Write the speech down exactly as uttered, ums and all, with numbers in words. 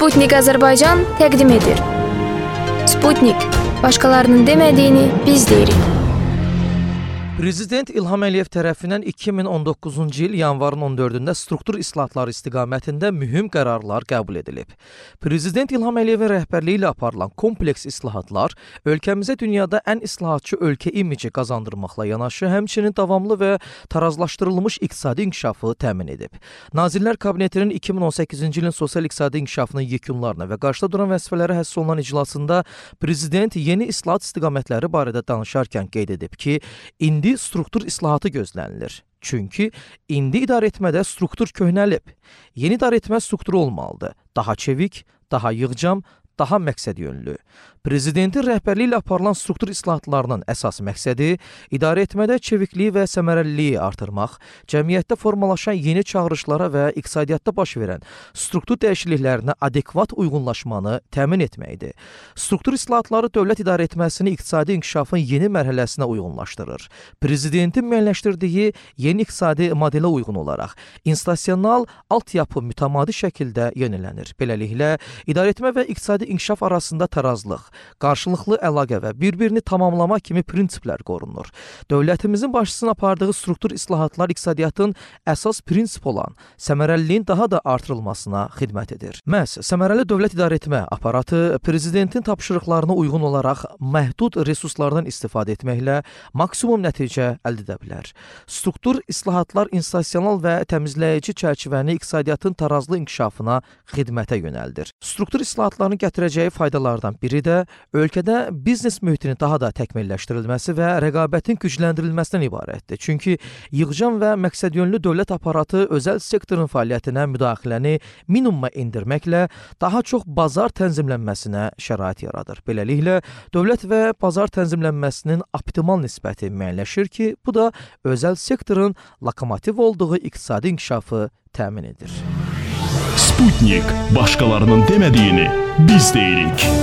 Sputnik Azərbaycan təqdim edir. Sputnik, başqalarının demədiyini biz deyirik. Prezident İlham Əliyev tərəfindən iki min on doqquzuncu il yanvarın on dördündə struktur islahatları istiqamətində mühüm qərarlar qəbul edilib. Prezident İlham Əliyevin rəhbərliyi ilə aparılan kompleks islahatlar ölkəmizə dünyada ən islahatçı ölkə imici qazandırmaqla yanaşı, həmçinin davamlı və tarazlaşdırılmış iqtisadi inkişafı təmin edib. Nazirlər Kabinetinin iki min on səkkizinci ilin sosial-iqtisadi inkişafının yekunlarına və qarşıda duran vəzifələri həsr olunan iclasında Prezident yeni islahat istiqamətləri barədə danışarkən qeyd edib ki, indi struktur islahatı gözlənilir. Çünki indi idarəetmədə struktur köhnəlib. Yeni idarəetmə strukturu olmalıdır. Daha çevik, daha yığcam, daha məqsəd yönlü. Prezidentin rəhbərliyi ilə aparılan struktur islahatlarının əsas məqsədi idarəetmədə çevikliyi və səmərəliliyi artırmaq, cəmiyyətdə formalaşan yeni çağırışlara və iqtisadiyyatda baş verən struktur dəyişikliklərinə adekvat uyğunlaşmanı təmin etməkdir. Struktur islahatları dövlət idarəetməsini iqtisadi inkişafın yeni mərhələsinə uyğunlaşdırır. Prezidentin müəyyənləşdirdiyi yeni iqtisadi modelə uyğun olaraq institusional altyapı mütəmadi şəkildə yenilənir. Beləliklə, idarəetmə və iqtisadi inkişaf arasında tarazlıq, qarşılıqlı əlaqə və bir-birini tamamlama kimi prinsiplər qorunur. Dövlətimizin başçısının apardığı struktur islahatlar iqtisadiyyatın əsas prinsip olan səmərəliliyin daha da artırılmasına xidmət edir. Məhz səmərəli dövlət idarəetmə aparatı prezidentin tapşırıqlarına uyğun olaraq məhdud resurslardan istifadə etməklə maksimum nəticə əldə edə bilər. Struktur islahatlar institusional və təmizləyici çərçivəni iqtisadiyyatın tarazlı inkişafına xidmətə yönəldir. Struktur islahatların gətirəcəyi faydalardan biri də ölkədə biznes mühitinin daha da təkmilləşdirilməsi və rəqabətin gücləndirilməsindən ibarətdir. Çünki yığcam və məqsədyönlü dövlət aparatı özəl sektorun fəaliyyətinə müdaxiləni minimuma endirməklə daha çox bazar tənzimlənməsinə şərait yaradır. Beləliklə, dövlət və bazar tənzimlənməsinin optimal nisbəti müəyyənləşir ki, bu da özəl sektorun lokomotiv olduğu iqtisadi inkişafı təmin edir. Sputnik, başqalarının demədiyini biz deyirik.